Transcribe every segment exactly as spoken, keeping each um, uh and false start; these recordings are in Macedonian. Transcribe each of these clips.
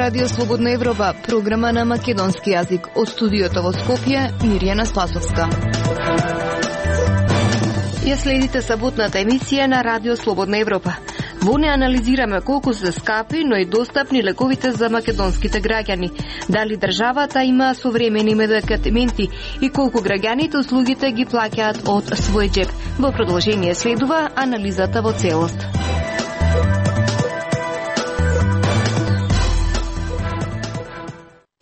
Радио Слободна Европа, програма на македонски јазик. Од студиото во Скопје, Мирјана Спасовска. Ја следите саботната емисија на Радио Слободна Европа. Во неја анализираме колку се скапи, но и достапни лековите за македонските граѓани. Дали државата има современи медикаменти и колку граѓаните услугите ги плаќаат од свој џеб. Во продолжение следува анализата во целост.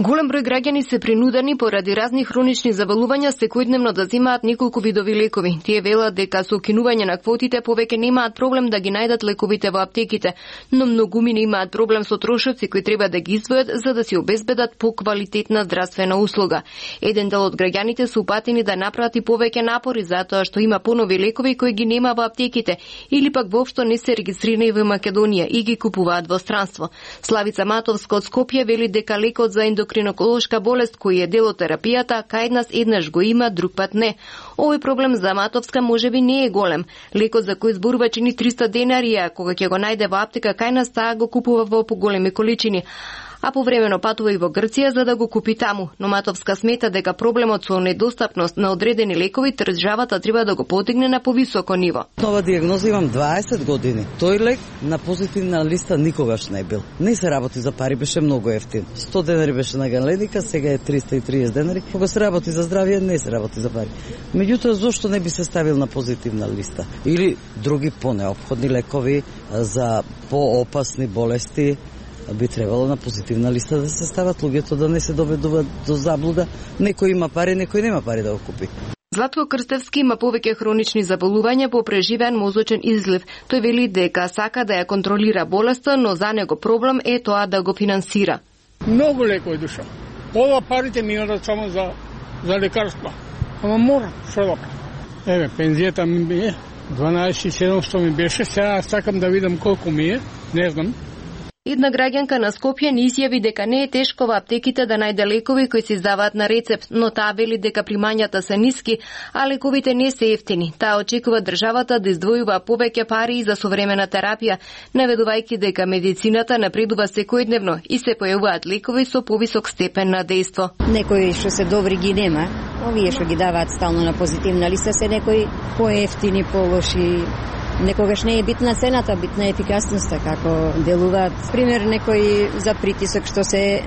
Голем број граѓани се принудени поради разни хронични заболувања секојдневно да земаат неколку видови лекови. Тие велат дека со укинување на квотите повеќе немаат проблем да ги најдат лековите во аптеките, но многумина имаат проблем со трошоци кои треба да ги издвојат за да си обезбедат поквалитетна здравствена услуга. Еден дел од граѓаните се упатени да направат и повеќе напори затоа што има понови лекови кои ги нема во аптеките или пак воопшто не се регистрирани во Македонија и ги купуваат во странство. Славица Матовска од Скопје вели дека лекот за ендокринолошка болест кој е дел од терапијата кај нас еднаш го има, друг пат не. Овој проблем за Матовска можеби не е голем. Лекот за кој зборува чини триста денари, а кога ќе го најде во аптека кај нас таа го купува во поголеми количини. А повремено патува и во Грција за да го купи таму. Но Матовска смета дека проблемот со недостапност на одредени лекови државата треба да го подигне на повисоко ниво. Нова диагноза имам дваесет години. Тој лек на позитивна листа никогаш не бил. Не се работи за пари, беше многу ефтин. сто денари беше на галеника, сега е триста и триесет денари. Кога се работи за здравје, не се работи за пари. Меѓутоа, зошто не би се ставил на позитивна листа? Или други понеопходни лекови за поопасни болести би требало на позитивна листа да се стават, луѓето да не се доведуваат до заблуда. Некој има пари, некој нема пари да го купи. Златко Крстевски има повеќе хронични заболувања по преживеан мозочен излив. Тој вели дека сака да ја контролира болеста, но за него проблем е тоа да го финансира. Многу лекови душа. Ова парите ми одат само за за лекарства. Ама мора, што да правам? Еве, пензијата ми е дванаесет седумстотини ми беше, сега сакам да видам колку ми е, не знам. Една граѓанка на Скопје ни изјави дека не е тешко во аптеките да најде лекови кои се издаваат на рецепт, но таа вели дека примањата се ниски, а лековите не се ефтини. Таа очекува државата да издвојува повеќе пари за современа терапија, наведувајќи дека медицината напредува секојдневно и се појавуваат лекови со повисок степен на дејство. Некои што се добри ги нема, овие што ги даваат стално на позитивна листа се некои поевтини, полоши. Некогаш не е битна цената, битна е ефикасноста, како делуваат. Пример, некој за притисок што се,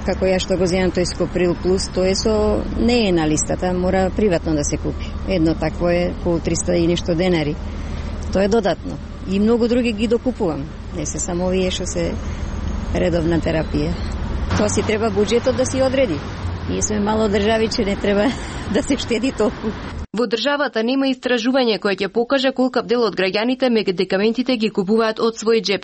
како ја што го земам, тој Скоприл Плюс, тоа е со, не е на листата, мора приватно да се купи. Едно такво е околу триста и нешто денари. Тоа е додатно. И многу други ги докупувам. Не се само овие што се редовна терапија. Тоа си треба буџетот да си одреди. Ние сме мало држави, че не треба да се штеди толку. Во државата нема истражување кое ќе покаже колкав дел од граѓаните медикаментите ги купуваат од свој џеб.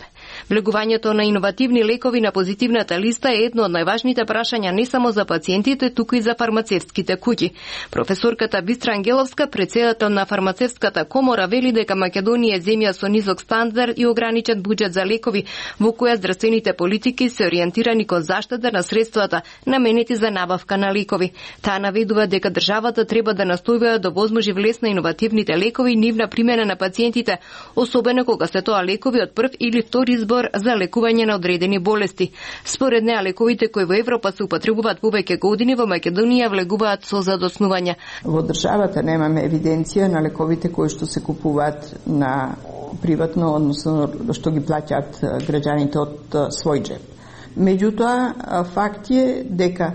Влегувањето на иновативни лекови на позитивната листа е едно од најважните прашања не само за пациентите, туку и за фармацевтските куќи. Професорката Бистра Ангеловска, претседател на фармацевтската комора, вели дека Македонија е земја со низок стандард и ограничен буџет за лекови, во која здравствените политики се ориентирани кон заштита на средствата наменети за набавка на лекови. Таа наведува дека државата треба да настојува да возможи влез на иновативните лекови и нивна примена на пациентите, особено кога се тоа лекови од прв или втор избор за лекување на одредени болести. Според неа, лековите кои во Европа се употребуваат повеќе години во Македонија влегуваат со задоснување. Во државата немаме евиденција на лековите кои што се купуваат на приватно, односно што ги плаќаат граѓаните од свој џеб. Меѓутоа, факт е дека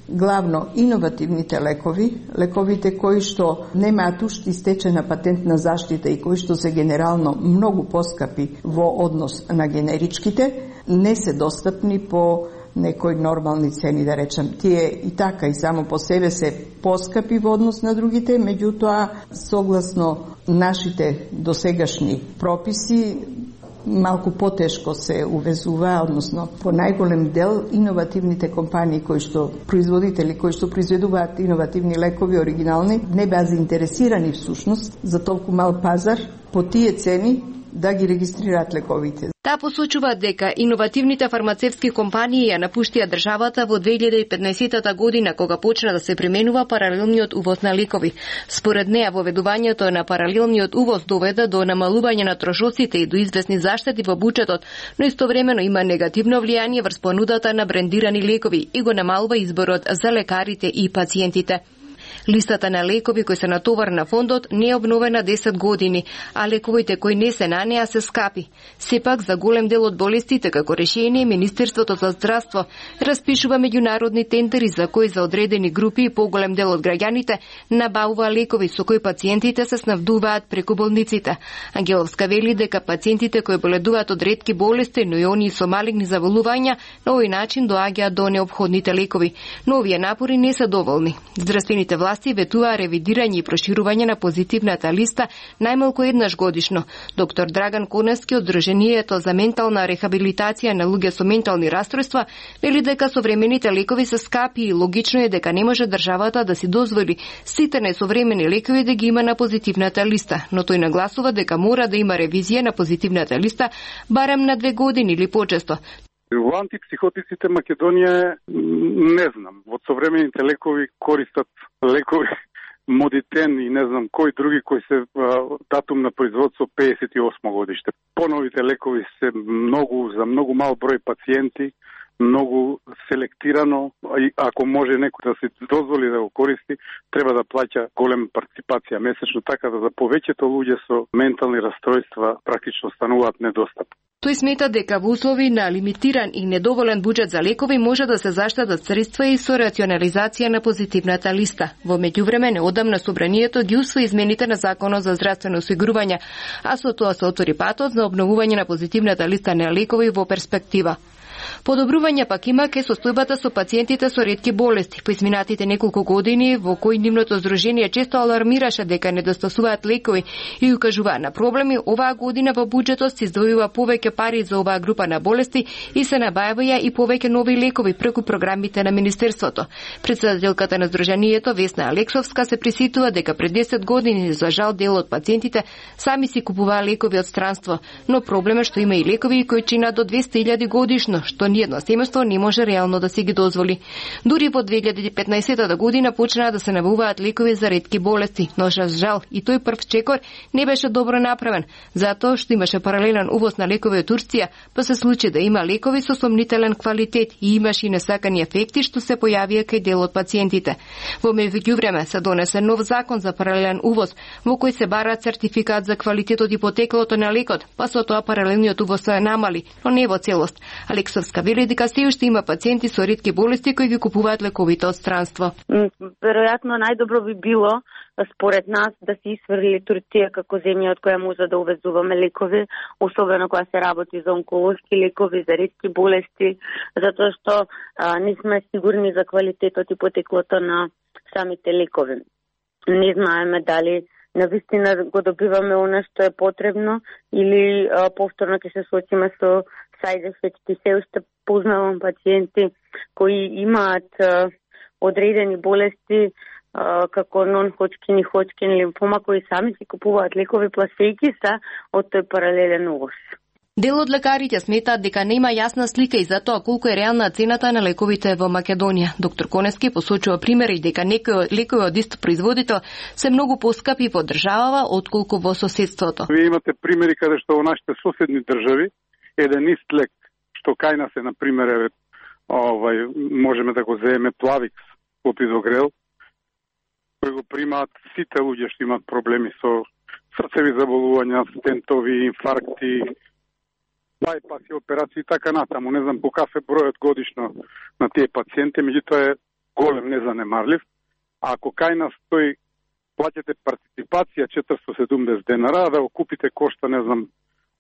главно иновативните лекови, лековите кои што немаат уште истечена патентна заштита и кои што се генерално многу поскапи во однос на генеричките, не се достапни по некои нормални цени, да речем. Тие и така и само по себе се поскапи во однос на другите, меѓутоа, согласно нашите досегашни прописи, малку потешко се увезува, односно по најголем дел иновативните компании кои што производители кои што произведуваат иновативни лекови оригинални не беа заинтересирани всушност за толку мал пазар по тие цени да ги регистрираат лековите. Таа посочува дека иновативните фармацевтски компании ја напуштија државата во две илјади и петнаесетта година, кога почна да се применува паралелниот увоз на лекови. Според неа, воведувањето на паралелниот увоз доведе до намалување на трошоците и до известни заштети во буџетот, но истовремено има негативно влијание врз понудата на брендирани лекови и го намалува изборот за лекарите и пациентите. Листата на лекови кои се натовар на фондот не е обновена десет години, а лековите кои не се на неа се скапи. Сепак, за голем дел од болестите, како решение, Министерството за здравство распишува меѓународни тендери за кои за одредени групи и поголем дел од граѓаните набавува лекови со кои пациентите се снабдуваат преку болниците. Ангеловска вели дека пациентите кои боледуваат од ретки болести, но и оние со малигни заболувања, на овој начин доаѓаат до неопходните лекови. Но овие напори не се доволни. Здравствените власти ветува ревидирање и проширување на позитивната листа најмалку еднаш годишно. Доктор Драган Конески од Друженијето за ментална рехабилитација на луѓе со ментални расстройства вели дека современите лекови се скапи и логично е дека не може државата да си дозволи сите несовремени лекови да ги има на позитивната листа, но тој нагласува дека мора да има ревизија на позитивната листа барем на две години или почесто. Во антипсихотиците Македонија не знам, во современите лекови користат лекови Модитен и не знам кои други кои се датум на производство пеесет и осмо годиште. Поновите лекови се многу за многу мал број пациенти, многу селектирано, и ако може некој да се дозволи да го користи, треба да плаќа голема партиципација месечно, така да за повеќето луѓе со ментални расстройства практично стануваат недостапни. Тој смета дека во услови на лимитиран и недоволен буџет за лекови може да се заштедат средства и со рационализација на позитивната листа. Во меѓувреме, неодамна собранието ги усвои измените на Законот за здравствено осигурување, а со тоа се отвори патот за обновување на позитивната листа на лекови во перспектива. Подобрување пак има ке состојбата со пациентите со ретки болести. По изминатите неколку години во кои нивното здружение често алармираше дека недостасуваат лекови и укажуваа на проблеми, оваа година во буџетот се издвојува повеќе пари за оваа група на болести и се набавија и повеќе нови лекови преку програмите на Министерството. Председателката на здружението Весна Алексовска се присетува дека пред десет години за жал дел од пациентите сами си купуваа лекови од странство, но проблем е што има и лекови кои чинат до двесте илјади годишно, што ниедно семејство не може реално да си ги дозволи. Дури во две илјади и петнаесетта година почнаа да се набавуваат лекови за ретки болести, но за жал и тој прв чекор не беше добро направен, затоа што имаше паралелен увоз на лекови од Турција, па се случи да има лекови со сомнителен квалитет и имаше и несакани ефекти што се појавија кај дел од пациентите. Во меѓувреме се донесе нов закон за паралелен увоз, во кој се бара сертификат за квалитетот и потеклото на лекот, па со тоа паралелниот увоз се намали, но не во целост. Алексовска вели дека се уште има пациенти со ретки болести кои ги купуваат лековите од странство. Веројатно најдобро би било според нас да се исфрли Турција како земја од која може да увезуваме лекови, особено кога се работи за онколошки лекови, за ретки болести, затоа што а, не сме сигурни за квалитетот и потеклото на самите лекови. Не знаеме дали навистина го добиваме она што е потребно или а, повторно ќе се соочиме со side effects. Се уште познавам пациенти кои имаат а, одредени болести а, како нон-ходжкин и ходжкин лимфома, кои сами си купуваат лекови пласејки се од тој паралелен увоз. Дел од лекарите сметаат дека нема јасна слика и за тоа колку е реална цената на лековите во Македонија. Доктор Конески посочува примери дека некои лекови од ист производител се многу поскапи во државава отколку во соседството. Вие имате примери каде што во нашите соседни држави еден ист лек што кај нас е, на пример, е, овај, можеме да го земеме Плавикс, клопидогрел, кој го примаат сите луѓе што имаат проблеми со срцеви заболувања, стентови, инфаркти, байпаси, операции и така натаму. Не знам по каков е бројот годишно на тие пациенти, меѓутоа е голем, незанемарлив. А ако кај нас тој плаќате партиципација четиристотини и седумдесет денара, а да го купите кошта, не знам,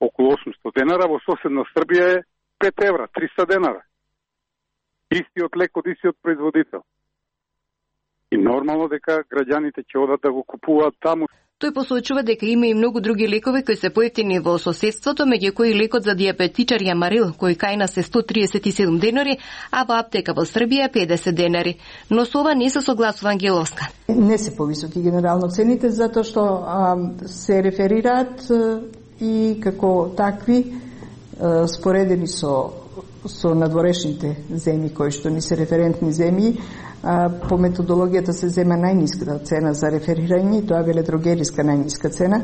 околу осумстотини денара, во соседна Србија е пет евра, триста денара. Истиот лек од истиот производител. И нормално дека граѓаните ќе одат да го купуваат таму. Тој посочува дека има и многу други лекови кои се поевтини во соседството, меѓу кои лекот за диабетичари Амарил, кој кај нас е сто триесет и седум денари, а во аптека во Србија педесет денари. Но со ова не се согласува Ангеловска. Не се повисоки генерално цените, затоа што а, се реферираат и како такви споредени со со надворешните земји кои што ни се референтни земји, а, по методологијата се зема најниската цена за реферирање, тоа е веледрогериска најниска цена.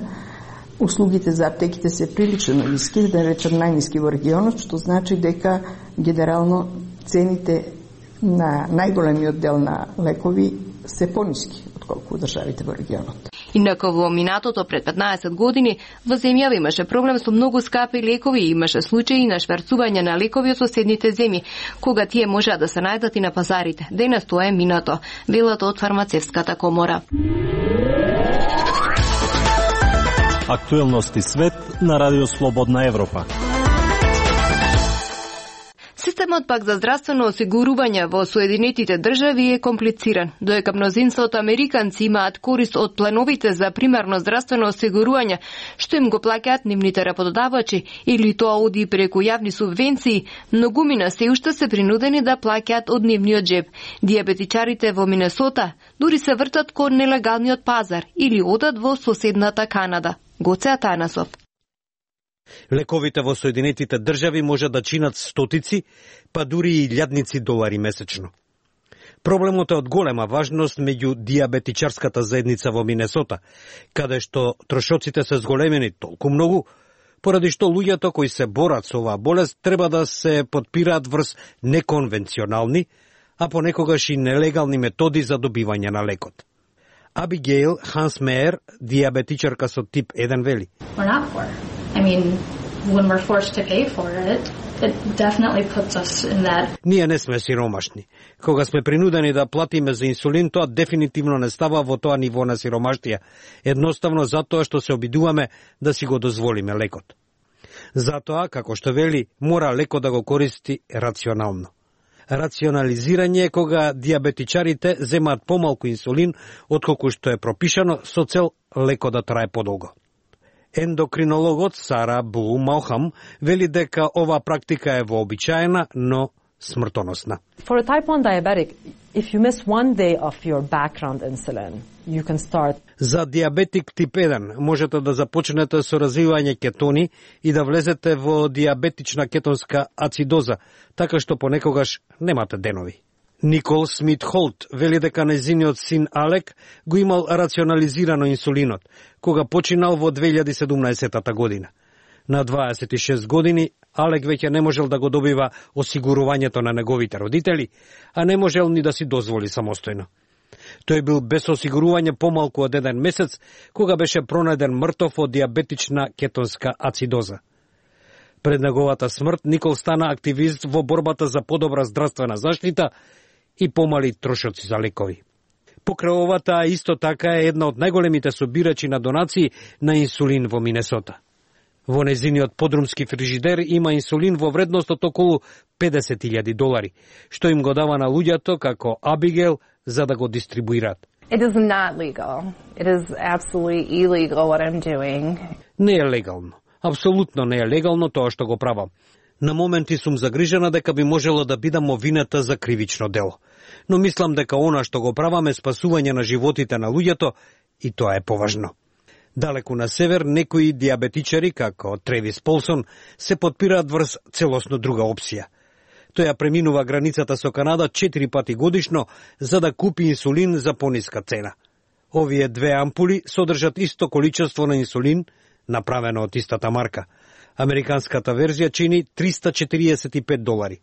Услугите за аптеките се прилично ниски, да речем најниски во регионот, што значи дека генерално цените на најголемиот дел на лекови се пониски отколку државите во регионот. Инако во минатото пред петнаесет години во земјава имаше проблем со многу скапи лекови и имаше случаи на шверцување на лекови од соседните земји, кога тие можеа да се најдат и на пазарите. Денес тоа е минато, велат од фармацевската комора. Актуелности свет на Радио Слободна Европа. Системот пак за здравствено осигурување во Соединетите држави е комплициран, доека мнозинството американци имаат корист од пленовите за примерно здравствено осигурување, што им го плаќаат нивните работодавачи, или тоа оди преку јавни субвенции, многумина се уште се принудени да плаќаат од нивниот джеб. Диабетичарите во Минесота дури се вртат кон нелегалниот пазар или одат во соседната Канада. Гоце Атанасов. Лековите во Соединетите држави може да чинат стотици, па дури и илјадници долари месечно. Проблемот е од голема важност меѓу диабетичарската заедница во Минесота, каде што трошоците се зголемени толку многу, поради што луѓето кои се борат со оваа болест треба да се потпираат врз неконвенционални, а понекогаш и нелегални методи за добивање на лекот. Абигейл Хансмеер, диабетичарка со тип еден, вели: I mean, when we're forced to pay for it, it definitely puts us in that. Ние не сме сиромашни. Кога сме принудени да платиме за инсулин, тоа дефинитивно не става во тоа ниво на сиромаштија, едноставно затоа што се обидуваме да си го дозволиме лекот. Затоа, како што вели, мора лекот да го користи рационално. Рационализирање е кога диабетичарите земаат помалку инсулин отколку што е пропишано со цел лекот да трае подолго. Ендокринологот Сара Бу Малхам вели дека оваа практика е вообичаена, но смртоносна. For a type one diabetic, if you miss one day of your background insulin, you can start. За диабетик тип еден можете да започнете со развивање кетони и да влезете во диабетична кетонска ацидоза, така што понекогаш немате денови. Никол Смит Холт вели дека нејзиниот син Алек го имал рационализирано инсулинот, кога починал во две илјади и седумнаесета година. На дваесет и шест години Алек веќе не можел да го добива осигурувањето на неговите родители, а не можел ни да си дозволи самостојно. Тој бил без осигурување помалку од еден месец, кога беше пронајден мртов од диабетична кетонска ацидоза. Пред неговата смрт Никол стана активист во борбата за подобра здравствена заштита и помали трошоци за лекови. Покрај овата исто така е една од најголемите собирачи на донации на инсулин во Минесота. Во незиниот подрумски фрижидер има инсулин во вредност од околу педесет илјади долари, што им го дава на луѓето како Абигейл за да го дистрибуираат. It is not legal. It is absolutely illegal what I'm doing. Не е легално. Апсолутно не е легално тоа што го правам. На моменти сум загрижена дека би можело да бидам овинета за кривично дело. Но мислам дека она што го правам е спасување на животите на луѓето и тоа е поважно. Далеку на север, некои диабетичари, како Тревис Полсон, се потпираат врз целосно друга опција. Тој ја преминува границата со Канада четири пати годишно за да купи инсулин за пониска цена. Овие две ампули содржат исто количество на инсулин, направено од истата марка. Американската верзија чини триста четириесет и пет долари.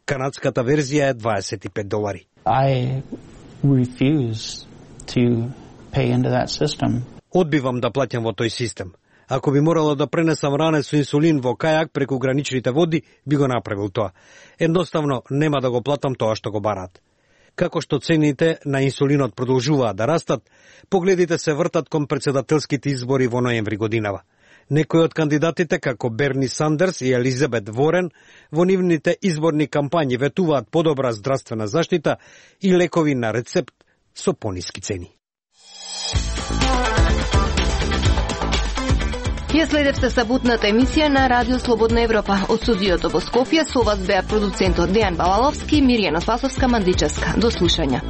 Канадската верзија е дваесет и пет долари. I refuse to pay into that system. Одбивам да плаќам во тој систем. Ако би морало да пренесам ране со инсулин во кајак преку граничните води, би го направил тоа. Едноставно нема да го платам тоа што го бараат. Како што цените на инсулинот продолжуваат да растат, погледите се вртат кон претседателските избори во ноември годинава. Некои од кандидатите, како Берни Сандерс и Елизабет Ворен, во нивните изборни кампањи ветуваат подобра здравствена заштита и лекови на рецепт со пониски цени. Ја следевте саботната емисија на Радио Слободна Европа. Од студиото во Скопје со вас беа продуцентот Дејан Балаловски и Мирјана Спасовска Мандичевска. До слушање.